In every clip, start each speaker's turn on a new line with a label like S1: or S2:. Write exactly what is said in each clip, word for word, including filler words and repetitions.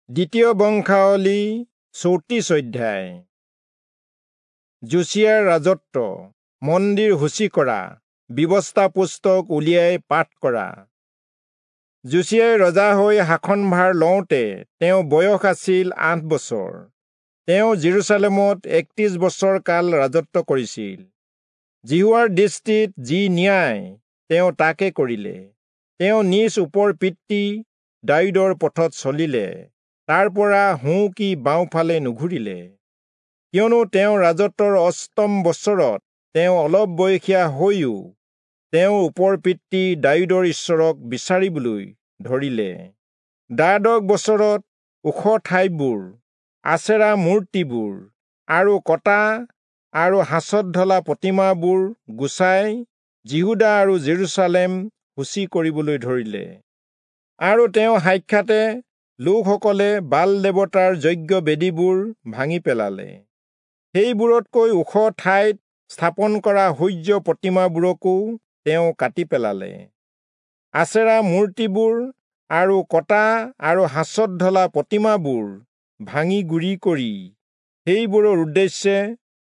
S1: দ্বিতীয় বংশাৱলী চৌত্ৰিশ অধ্যায়। যোচিয়াৰ ৰাজত্ব, মন্দিৰ সূচী কৰা, ব্যৱস্থা পুস্তক উলিয়াই পাঠ কৰা। যোচিয়াই ৰজা হৈ শাসনভাৰ লওঁতে তেওঁ বয়স আছিল আঠ বছৰ। তেওঁ যিৰূচালেমত একত্ৰিশ বছৰ কাল ৰাজত্ব কৰিছিল। যিহোৱাৰ দৃষ্টিত যি ন্যায় তেওঁ তাকে কৰিলে। তেওঁ নিজ ওপৰ পিতৃ দায়ূদৰ পথত চলিলে, তাৰ পৰা সোঁ কি বাওঁফালে নুঘূৰিলে। কিয়নো তেওঁ ৰাজত্বৰ অষ্টম বছৰত তেওঁ অলপ বয়সীয়া হৈও তেওঁ ওপৰ পিতৃ দায়ূদৰ ঈশ্বৰক বিচাৰিবলৈ ধৰিলে। দ্বাদশ বছৰত ওখ ঠাইবোৰ, আচেৰা মূৰ্তিবোৰ আৰু কটা আৰু সাঁচত ঢলা প্ৰতিমাবোৰ গুচাই যিহূদা আৰু যিৰূচালেম সূচী কৰিবলৈ ধৰিলে। আৰু তেওঁ সাক্ষাতে লোকসকলে বাল দেৱতাৰ যজ্ঞ বেদীবোৰ ভাঙি পেলালে। সেইবোৰতকৈ ওখ ঠাইত স্থাপন কৰা সূৰ্য প্ৰতিমাবোৰকো তেওঁ কাটি পেলালে। আচেৰা মূৰ্তিবোৰ আৰু কটা আৰু সাঁচত ঢলা প্ৰতিমাবোৰ ভাঙি গুৰি কৰি সেইবোৰৰ উদ্দেশ্যে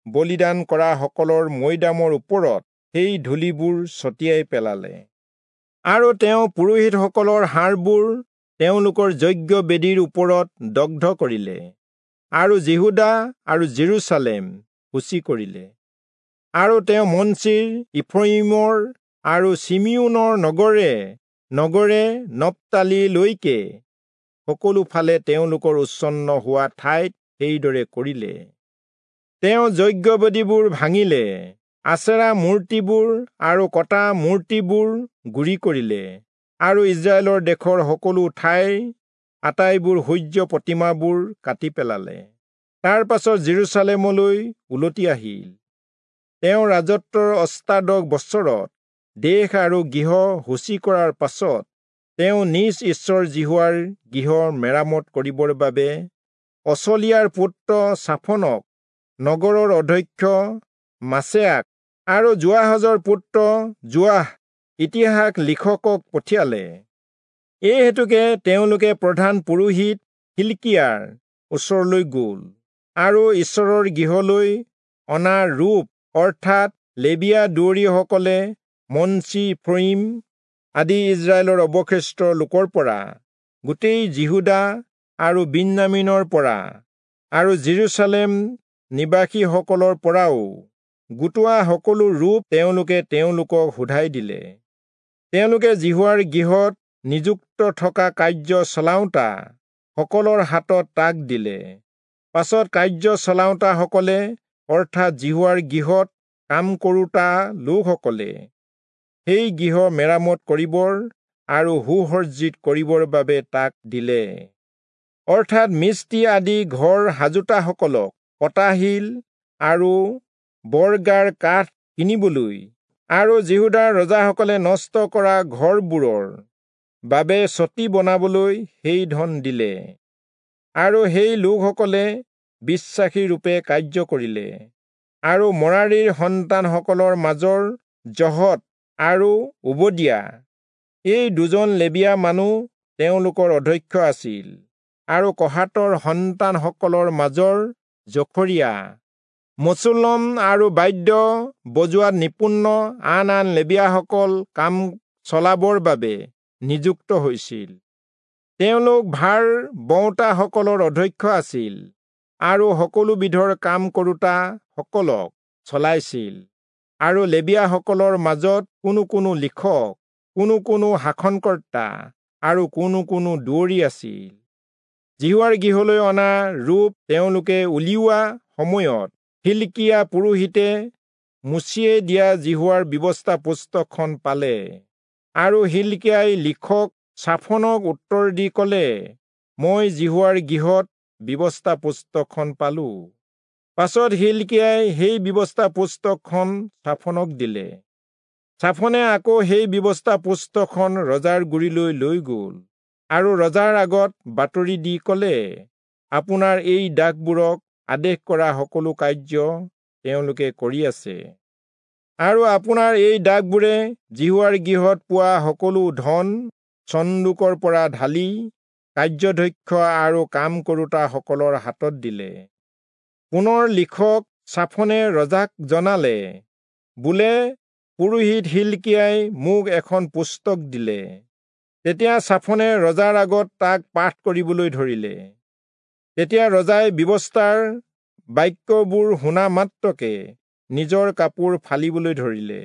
S1: বলিদান কৰা সকলৰ মৈদামৰ ওপৰত সেই ধূলিবোৰ ছটিয়াই পেলালে। আৰু তেওঁ পুৰোহিতসকলৰ হাড়বোৰ তেওঁলোকৰ যজ্ঞ বেদীৰ ওপৰত দগ্ধ কৰিলে আৰু যিহূদা আৰু যিৰূচালেম সূচী কৰিলে। আৰু তেওঁ মনচিৰ, ইফ্ৰয়িমৰ আৰু চিমিয়োনৰ নগৰে নগৰে নপ্তালিলৈকে সকলো ফালে তেওঁলোকৰ উচ্ছন্ন হোৱা ঠাইত সেইদৰে কৰিলে। তেওঁ যজ্ঞবেদীবোৰ ভাঙিলে, আচেৰা মূৰ্তিবোৰ আৰু কটা মূৰ্তিবোৰ গুৰি কৰিলে আৰু ইস্ৰায়েলৰ দেশৰ সকলো ঠাইৰ আটাইবোৰ সূৰ্য প্ৰতিমাবোৰ কাটি পেলালে। তাৰ পাছত যিৰূচালেমলৈ উলটি আহিল। তেওঁ ৰাজত্বৰ অষ্টাদশ বছৰত দেশ আৰু গৃহ সূচী কৰাৰ পাছত তেওঁ নিজ ঈশ্বৰ যিহোৱাৰ গৃহ মেৰামত কৰিবৰ বাবে অচলিয়াৰ পুত্ৰ চাফনক, নগৰৰ অধ্যক্ষ মাচেয়াক আৰু যোৱাহজৰ পুত্ৰ যোৱাহ ইতিহাস লিখকক পঠিয়ালে। এই হেতুকে তেওঁলোকে প্ৰধান পুৰোহিত হিলকিয়াৰ ওচৰলৈ গ'ল আৰু ঈশ্বৰৰ গৃহলৈ অনা ৰূপ অৰ্থাৎ লেবীয়া দুৱৰীসকলে মনচি, ইফ্ৰয়িম আদি ইস্ৰায়েলৰ অৱশিষ্ট লোকৰ পৰা, গোটেই যিহূদা আৰু বিন্যামীনৰ পৰা আৰু যিৰূচালেম নিবাসীসকলৰ পৰাও গোটোৱা সকলো ৰূপ তেওঁলোকে তেওঁলোকক সোধাই দিলে। তেওঁলোকে যিহোৱাৰ গৃহত নিযুক্ত থকা কাৰ্য চলাওঁতা সকলৰ হাতত তাক দিলে। পাছত কাৰ্য চলাওঁতাসকলে অৰ্থাৎ যিহোৱাৰ গৃহত কাম কৰোঁতা লোকসকলে সেই গৃহ মেৰামত কৰিবৰ আৰু সুসজ্জিত কৰিবৰ বাবে তাক দিলে। অৰ্থাৎ মিস্ত্ৰী আদি ঘৰ সাজোতাসকলক কটাশিল আৰু বৰগাৰ কাঠ কিনিবলৈ আৰু যিহূদাৰ ৰজাসকলে নষ্ট কৰা ঘৰবোৰৰ বাবে চতি বনাবলৈ সেই ধন দিলে। আৰু সেই লোকসকলে বিশ্বাসী ৰূপে কাৰ্য কৰিলে। আৰু মৰাৰীৰ সন্তানসকলৰ মাজৰ জহত আৰু ওবদিয়া এই দুজন লেবীয়া মানুহ তেওঁলোকৰ অধ্যক্ষ আছিল। আৰু কহাতৰ সন্তানসকলৰ মাজৰ জখৰিয়া, মচুলম আৰু বাদ্য বজোৱাত নিপুণ আন আন লেবীয়াসকল কাম চলাবৰ বাবে নিযুক্ত হৈছিল। তেওঁলোক ভাৰ বওঁতাসকলৰ অধ্যক্ষ আছিল আৰু সকলো বিধৰ কাম কৰোঁতাসকলক চলাইছিল। আৰু লেবীয়াসকলৰ মাজত কোনো কোনো লিখক, কোনো কোনো শাসনকৰ্তা আৰু কোনো কোনো দুৱৰী আছিল। যিহোৱাৰ গৃহলৈ অনা ৰূপ তেওঁলোকে উলিওৱা সময়ত হিলকিয়া পুৰোহিতে মোচিয়ে দিয়া যিহোৱাৰ ব্যৱস্থা পুস্তকখন পালে। আৰু হিলকিয়াই লিখক চাফনক উত্তৰ দি ক'লে, মই যিহোৱাৰ গৃহত ব্যৱস্থা পুস্তকখন পালো। পাছত হিলকিয়াই সেই ব্যৱস্থা পুস্তকখন চাফনক দিলে। চাফনে আকৌ সেই ব্যৱস্থা পুস্তকখন ৰজাৰ গুৰিলৈ লৈ গ'ল আৰু ৰজাৰ আগত বাতৰি দি ক'লে, আপোনাৰ এই দাসবোৰক আদেশ কৰা সকলো কাৰ্য তেওঁলোকে কৰি আছে। আৰু আপোনাৰ এই দাসবোৰে যিহোৱাৰ গৃহত পোৱা সকলো ধন চন্দুকৰ পৰা ঢালি কাৰ্যধ্যক্ষ আৰু কাম কৰোতাসকলৰ হাতত দিলে। পুনৰ লিখক চাফনে ৰজাক জনালে, বোলে, পুৰোহিত হিলকিয়াই মোক এখন পুস্তক দিলে। তেতিয়া চাফনে ৰজাৰ আগত তাক পাঠ কৰিবলৈ ধৰিলে। তেতিয়া ৰজাই ব্যৱস্থাৰ বাক্যবোৰ শুনা মাত্ৰকে নিজৰ কাপোৰ ফালিবলৈ ধৰিলে।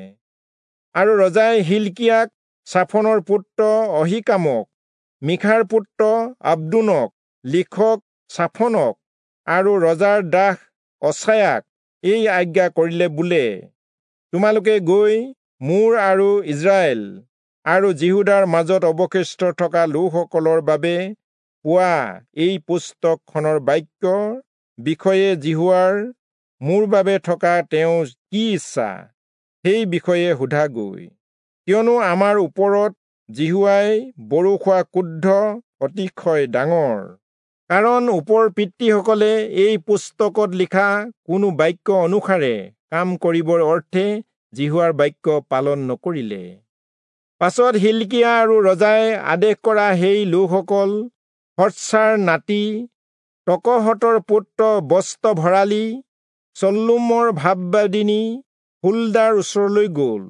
S1: আৰু ৰজাই হিলকিয়াক, চাফনৰ পুত্ৰ অহীকামক, মিখাৰ পুত্ৰ আব্দোনক, লিখক চাফনক আৰু ৰজাৰ দাস অচায়াক এই আজ্ঞা কৰিলে, বোলে, তোমালোকে গৈ মোৰ আৰু ইস্ৰায়েল আৰু যিহূদাৰ মাজত অৱশিষ্ট থকা লোকসকলৰ বাবে পোৱা এই পুস্তকখনৰ বাক্যৰ বিষয়ে যিহোৱাৰ মোৰ বাবে থকা তেওঁৰ কি ইচ্ছা সেই বিষয়ে সোধাগৈ। কিয়নো আমাৰ ওপৰত যিহোৱাই বৰষুৱা ক্ৰোধ অতিশয় ডাঙৰ। কাৰণ ওপৰ পিতৃসকলে এই পুস্তকত লিখা কোনো বাক্য অনুসাৰে কাম কৰিবৰ অৰ্থে যিহোৱাৰ বাক্য পালন নকৰিলে। পাছত হিলকিয়া আৰু ৰজাই আদেশ কৰা সেই লোকসকল হৎসাৰ নাতি তকহতৰ পুত্ৰ বস্ত্ৰ ভৰালী চল্লুমৰ ভাববাদিনী হুলদাৰ ওচৰলৈ গ'ল।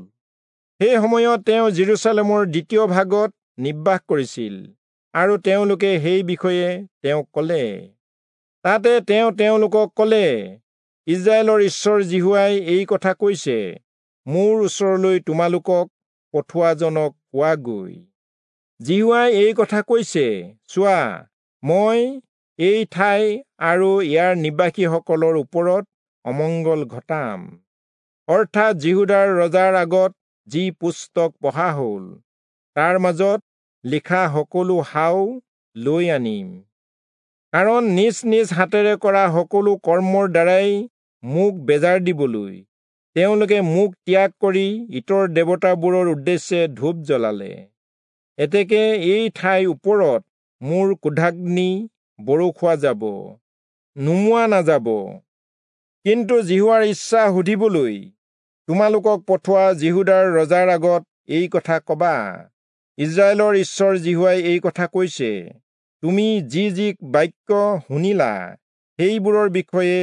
S1: সেই সময়ত তেওঁ জেৰুচালেমৰ দ্বিতীয় ভাগত নিবাস কৰিছিল, আৰু তেওঁলোকে সেই বিষয়ে তেওঁক ক'লে। তাতে তেওঁ তেওঁলোকক ক'লে, ইস্ৰায়েলৰ ঈশ্বৰ যিহোৱাই এই কথা কৈছে, মোৰ ওচৰলৈ তোমালোকক পঠোৱাজনক কোৱাগৈ, যিহোৱাই এই কথা কৈছে, চোৱা, মই এই ঠাই আৰু ইয়াৰ নিবাসীসকলৰ ওপৰত অমংগল ঘটাম, অৰ্থাৎ যিহূদাৰ ৰজাৰ আগত যি পুস্তক পঢ়া হ'ল তাৰ মাজত লিখা সকলো শাও লৈ আনিম। কাৰণ নিজ নিজ হাতেৰে কৰা সকলো কৰ্মৰ দ্বাৰাই মোক বেজাৰ দিবলৈ তেওঁলোকে মোক ত্যাগ কৰি ইতৰ দেৱতাবোৰৰ উদ্দেশ্যে ধূপ জ্বলালে। এতেকে এই ঠাইৰ ওপৰত মোৰ ক্ৰোধাগ্নি বৰষুৱা যাব, নুমুৱা নাযাব। কিন্তু যিহোৱাৰ ইচ্ছা সুধিবলৈ তোমালোকক পঠোৱা যিহূদাৰ ৰজাৰ আগত এই কথা কবা, ইস্ৰায়েলৰ ঈশ্বৰ যিহোৱাই এই কথা কৈছে, তুমি যি যি বাক্য শুনিলা সেইবোৰৰ বিষয়ে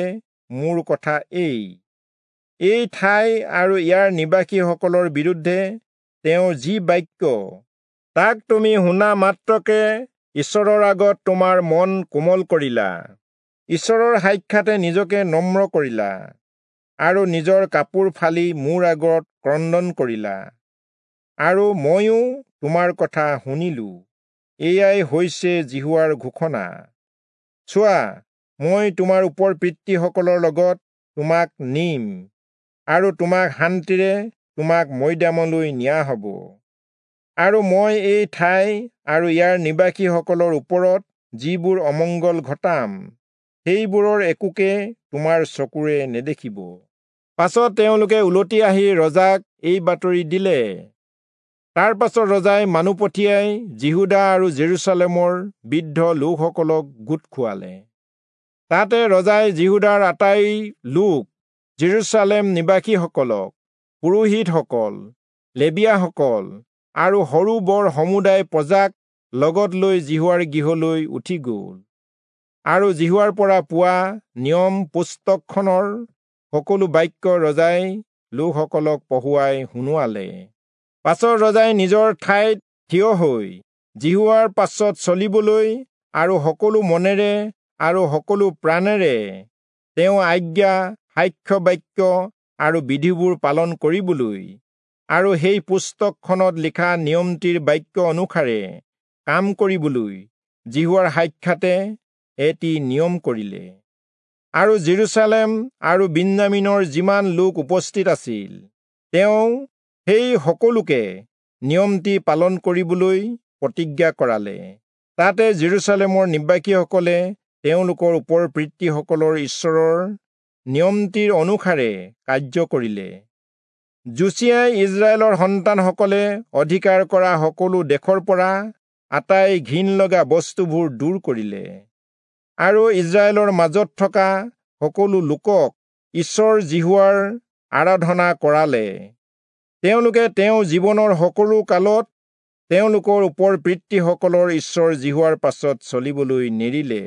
S1: মোৰ কথা এই। এই ঠাই আৰু ইয়াৰ নিবাসীসকলৰ বিৰুদ্ধে তেওঁৰ যি বাক্য, তাক তুমি শুনা মাত্ৰকে ঈশ্বৰৰ আগত তোমাৰ মন কোমল কৰিলা, ঈশ্বৰৰ সাক্ষাতে নিজকে নম্ৰ কৰিলা, আৰু নিজৰ কাপোৰ ফালি মোৰ আগত ক্ৰন্দন কৰিলা, আৰু ময়ো তোমাৰ কথা শুনিলো। এয়াই হৈছে যিহোৱাৰ ঘোষণা। চোৱা, মই তোমাৰ ওপৰ পিতৃসকলৰ লগত তোমাক নিম, আৰু তোমাক শান্তিৰে তোমাক মৈদামলৈ নিয়া হ'ব। আৰু মই এই ঠাই আৰু ইয়াৰ নিবাসীসকলৰ ওপৰত যিবোৰ অমংগল ঘটাম, সেইবোৰৰ একোকে তোমাৰ চকুৰে নেদেখিব। পাছত তেওঁলোকে উলটি আহি ৰজাক এই বাতৰি দিলে। তাৰ পাছত ৰজাই মানুহ পঠিয়াই যিহূদা আৰু জেৰুচালেমৰ বৃদ্ধ লোকসকলক গোট খুৱালে। তাতে ৰজাই যিহূদাৰ আটাই লোক, জেৰুচালেম নিবাসীসকলক, পুৰোহিতসকল, লেবীয়াসকল আৰু সৰু বৰ সমুদায় প্ৰজাক লগত লৈ যিহোৱাৰ গৃহলৈ উঠি গ'ল, আৰু যিহোৱাৰ পৰা পোৱা নিয়ম পুস্তকখনৰ সকলো বাক্য ৰজাই লোকসকলক পঢ়ুৱাই শুনোৱালে। পাছত ৰজাই নিজৰ ঠাইত থিয় হৈ যিহোৱাৰ পাছত চলিবলৈ আৰু সকলো মনেৰে আৰু সকলো প্ৰাণেৰে তেওঁ আজ্ঞা, সাক্ষ্য বাক্য আৰু বিধিবোৰ পালন কৰিবলৈ আৰু সেই পুস্তকখনত লিখা নিয়মটিৰ বাক্য অনুসাৰে কাম কৰিবলৈ যিহোৱাৰ সাক্ষাতে এটি নিয়ম কৰিলে। আৰু জেৰুচালেম আৰু বিন্যামীনৰ যিমান লোক উপস্থিত আছিল, তেওঁ সেই সকলোকে নিয়মটি পালন কৰিবলৈ প্ৰতিজ্ঞা কৰালে। তাতে জেৰুচালেমৰ নিবাসীসকলে তেওঁলোকৰ ওপৰ পিতৃসকলৰ ঈশ্বৰৰ নিয়মটিৰ অনুসাৰে কাৰ্য কৰিলে। যোচিয়াই ইস্ৰায়েলৰ সন্তানসকলে অধিকাৰ কৰা সকলো দেশৰ পৰা আটাই ঘিণ লগা বস্তুবোৰ দূৰ কৰিলে, আৰু ইস্ৰায়েলৰ মাজত থকা সকলো লোকক ঈশ্বৰ যিহোৱাৰ আৰাধনা কৰালে। তেওঁলোকে তেওঁৰ জীৱনৰ সকলো কালত তেওঁলোকৰ ওপৰ পিতৃসকলৰ ঈশ্বৰ যিহোৱাৰ পাছত চলিবলৈ নেৰিলে।